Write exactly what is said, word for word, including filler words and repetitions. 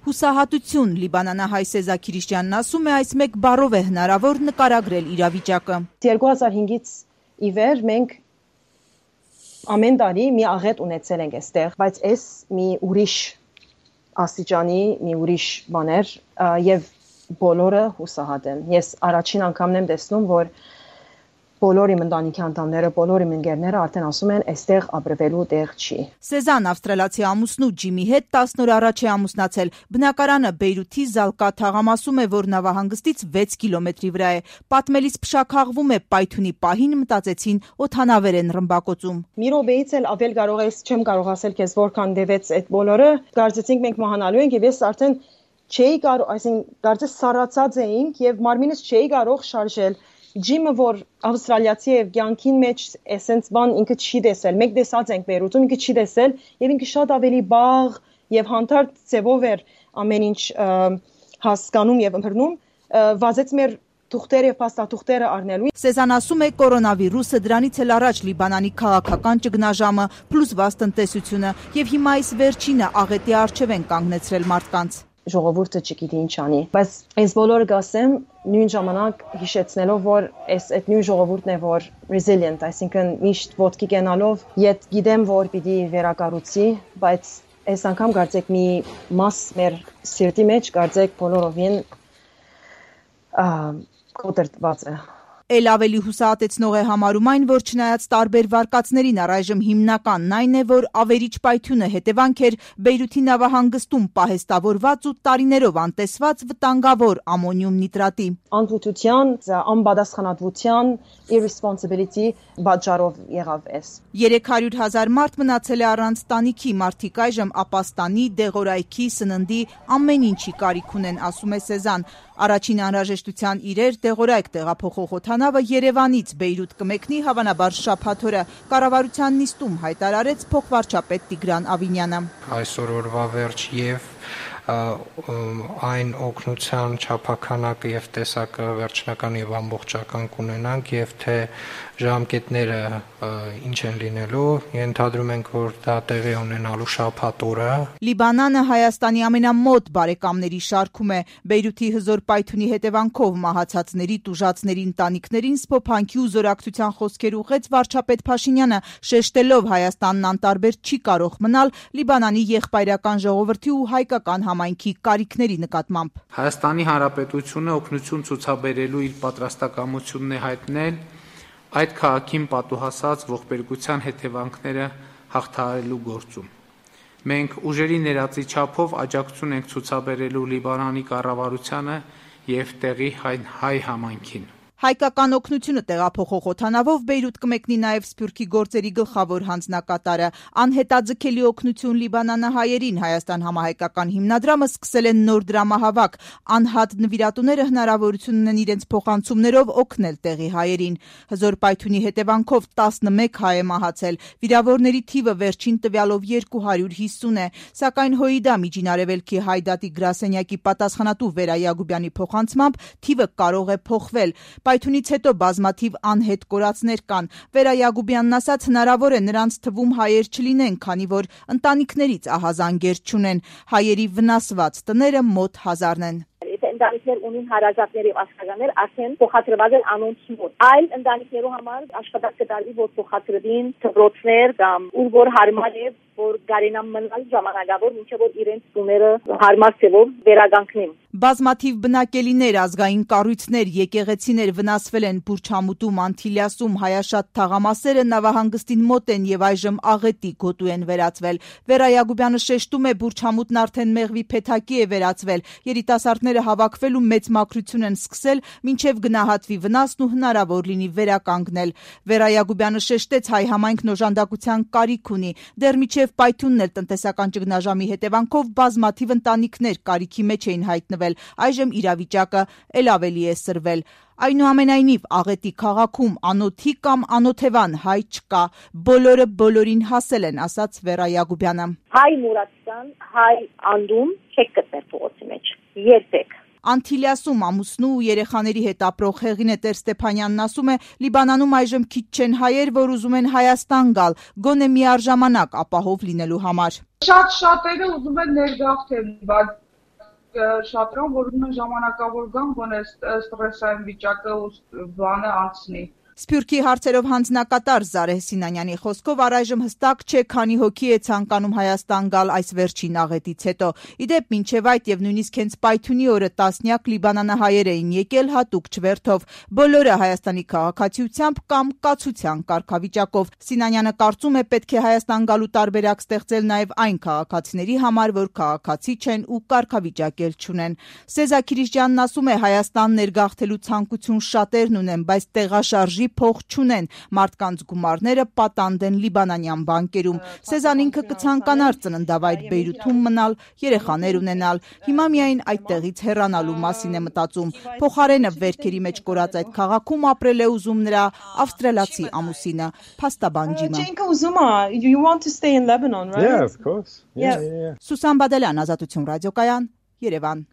Հուսահատություն լիբանանահայ Սեզա Քիրիշյանն ասում է, այս մեկ բառով է հնարավոր նկարագրել իրավիճակը։ երկու հազար հինգից ի վեր մենք ամեն տարի մի աղետ ունեցել ենք այստեղ, բայց այս մի ուրիշ աստիճանի, մի ուրիշ բաներ եւ բոլորը հուսահատ են։ Ես առաջին անգամն եմ տեսնում, որ բոլոր իմ ընտանիքի անդամները, բոլոր իմ ընկերները արդեն ասում են, այստեղ ապրվելու տեղ չի։ Սեզան ավստրալիացի ամուսնու Ջիմի հետ տասն օր առաջ է ամուսնացել։ Բնակարանը Բեյրութի Զալկա թաղամասում է, որ նավահանգստից վեց կիլոմետրի վրա է։ Պատմելիս փշաքաղվում է պայթունի պահին, մտածեցին օդանավեր են ռմբակոծում։ Մի րոպեից էլ ավել կարող ես, չեմ կարող ասել քեզ որքան դեվեց այդ բոլորը։ Կարծեցինք մենք մահանալու ենք եւ ես արդեն չէի կարող, այսինքն կարծես սառացած էինք եւ մարմինս չէի կարող շարժել։ Ջիմը, որ ավստրալիացի է, կյանքին մեջ էսենց բան ինքը չի տեսել։ Մեկ տեսած ենք Բեյրութում, ինքը չի տեսել եւ ինքը շատ ավելի բաղ եւ հանդարտ ձևով էր ամեն ինչ հասկանում եւ ըմբռնում, վազեց մեր թուղթերը եւ փաստաթուղթերը առնելու։ Սեզան ասում է, կորոնավիրուսը դրանից էլ առաջ Լիբանանի քաղաքական ճգնաժամը, փլուզված տնտեսությունը եւ հիմա այս վերջինը աղետի առջև են կանգնեցրել մարդկանց։ Ժողովուրդը չգիտի ինչ անի, բայց այս բոլորը գասեմ նույն ժամանակ հիշեցնելով, որ այս այդ նույն ժողովուրդն է, որ resilient, այսինքն միշտ ոտքի կենալով, իդ գիտեմ, որ պիտի վերակառուցի, բայց այս անգամ կարծեք մի մաս մեր սիրտի մեջ կարծեք բոլորովին կոտրված է։ Էլ ավելի հուսահատեցնող է համարում այն, որ չնայած տարբեր վարկածներին առայժմ հիմնականն այն է, որ ավերիչ պայթյունը հետևանք էր Բեյրութի նավահանգստում պահեստավորված ու տարիներով անտեսված վտանգավոր ամոնիում նիտրատի։ Անվտության, անպատասխանատվության, irresponsibility պատճառով եղավ էս։ երեք հարյուր հազար մարդ մնացել է առանց տանիքի, մարդիկ այժմ ապաստանի, դեղորայքի, սննդի, ամեն ինչի կարիք ունեն, ասում է Սեզան։ Առաջին անհրաժեշտության իրեր դեղորայք տեղափոխող օդանավը Երևանից Բեյրութ կմեկնի հավանաբար շաբաթ օրը, կառավարության նիստում հայտարարեց փոխվարչապետ Տիգրան Ավինյանը։ Այսօր օրվա վերջ եւ այն օգնության չափականակը եւ տեսակը վերջնական եւ ամբողջական կունենանք եւ թե ժամկետները ինչ են լինելու, ենթադրում ենք, որ դա տեղի ունենալու շաբաթ օրը։ Լիբանանը Հայաստանի ամենամոտ բարեկամների շարքում է։ Բեյրութի հզոր պայթյունի հետևանքով մահացածների, տուժածների ընտանիքներին սփոփանքի ու զորակցության խոսքեր ուղղեց վարչապետ Փաշինյանը, շեշտելով Հայաստանն անտարբեր չի կարող մնալ Լիբանանի եղբայրական ժողովրդի ու հայկական համայնքի կարիքների նկատմամբ։ Հայաստանի Հանրապետությունը օգնություն ցուցաբերելու իր պատրաստակամությունն է հայտնել այդ քաղաքին պատուհասած ողբերգության հետևանքները հաղթահարելու գործում։ Մենք ուժերի ներածի չափով աջակցություն ենք ցուցաբերելու Լիբանանի կառավարությանը եւ տեղի հայ համայնքին։ Հայկական օգնությունը տեղափոխող օդանավով Բեյրութ կմեկնի նաև Սփյուռքի գործերի գլխավոր հանձնակատարը։ Անհետաձգելի օգնություն լիբանանահայերին Հայաստան համահայկական հիմնադրամը սկսել է նոր դրամահավաք։ Անհատ նվիրատուները հնարավորություն ունեն իրենց փոխանցումներով օգնել տեղի հայերին։ Հզոր պայթյունի հետևանքով տասնմեկ հայ է մահացել։ Վիրավորների թիվը վերջին տվյալով երկու հարյուր հիսուն է, սակայն Հոիդա Միջինարևելքի Հայդատի գրասենյակի պատասխանատու Վերա Յագուբյանի փոխանցմամբ թիվը կարող է փոխվել։ Պայթյունից հետո բազմաթիվ անհետ կորածներ կան։ Վերա Յագուբյանն ասաց, հնարավոր է նրանց թվում հայեր չլինեն, քանի որ ընտանիքներից ահազանգեր չունեն։ Հայերի վնասված տները մոտ հազարն են։ Ընտանիքներ ունին հարազատներ եւ աշխատանքներ արդեն փոխադրված են անոնց մոտ։ Այլ ընտանիքներու համար աշխատանք կատարվի, որ փոխադրվին դպրոցներ կամ ուր որ հարմար է, որ գարենամ մնալ ժամանակավոր, մինչեւ որ իրենց տուները հարմար ձևով վերագանքնեն։ Բազմաթիվ բնակելիներ, ազգային կառույցներ, եկեղեցիներ վնասվել են Բուրչամուտում, Անտիլիասում, Հայաշատ թաղամասերը նավահանգստին մոտ են եւ այժմ աղետի գոտու են վերածվել։ Վերա Յագուբյանը շեշտում է, Բուրչամուտն արդեն մեղվի փեթակի է վերածվել։ Երիտասարդները հավաքվել ու մեծ մաքրություն են սկսել, մինչև գնահատվի վնասն ու հնարավոր լինի վերականգնել։ Վերա Յագուբյանը շեշտեց, հայ համայնքն օժանդակության կարիք ունի։ Դեռ միջև պայթյունն էլ տնտեսական ճգնաժամի հետևանքով բազմաթիվ ընտանիքներ կարիքի մեջ էին հայտնվել։ Այժմ իրավիճակը էլ ավելի է սրվել։ Այնուամենայնիվ աղետի քաղաքում անոթի կամ անոթևան հայ չկա, բոլորը բոլորին հասել են, ասաց Վերա Յագուբյանը։ Հայ մուրացան, հայ անդում չեք գտնել փողոցի մեջ։ Երբեք։ Անտիլիասում ամուսնու ու երեխաների հետ ապրող Հեղինե Տեր-Ստեփանյանն ասում է, Լիբանանում այժմ քիչ չեն հայեր, որ ուզում են Հայաստան գալ, գոնե միառժամանակ ապահով լինելու համար։ Շատ շատերը ուզում են ներգաղթել, բայց շատրոն, որ ուզում են ժամանակավոր գան, բանը ստրեսային վիճակը ու բանը անցնի։ Սփյուռքի հարցերով հանձնակատար Զարեհ Սինանյանի խոսքով առայժմ հստակ չէ քանի հոգի է ցանկանում Հայաստան գալ այս վերջին աղետից հետո։ Իդեպ մինչև այդ եւ նույնիսկ հենց Պայթյունի օրը տասնյակ լիբանանահայեր էին եկել հատուկ չվերթով, բոլորը Հայաստանի քաղաքացիությամբ կամ կացության կարգավիճակով։ Սինանյանը կարծում է պետք է Հայաստան գալու տարբերակ ստեղծել նաեւ այն քաղաքացիների համար, որ քաղաքացի չեն ու կարգավիճակ էլ չունեն։ Սեզա Քիրիշյանն ասում է Հայաստան ներգաղթելու ցանկություն շատերն ունեն, բայց տեղաշարժի փող չունեն, մարդկանց գումարները պատանդ են լիբանանյան բանկերում։ Սեզան ինքը կցանկանար ծննդավայր Բեյրութում մնալ, երեխաներ ունենալ, հիմա միայն այդտեղից հեռանալու մասին է մտածում։ Փոխարենը վերքերի մեջ կորած այդ քաղաքում ապրել է ուզում նրա ավստրալիացի ամուսինը, փաստաբան Ջիմը։ Ինքը ուզում է, you want to stay in Lebanon, right? Yeah, of course. Yeah, yeah, yeah. Սուսան Բադալյան, Ազատություն ռադիոկայան, Երևան։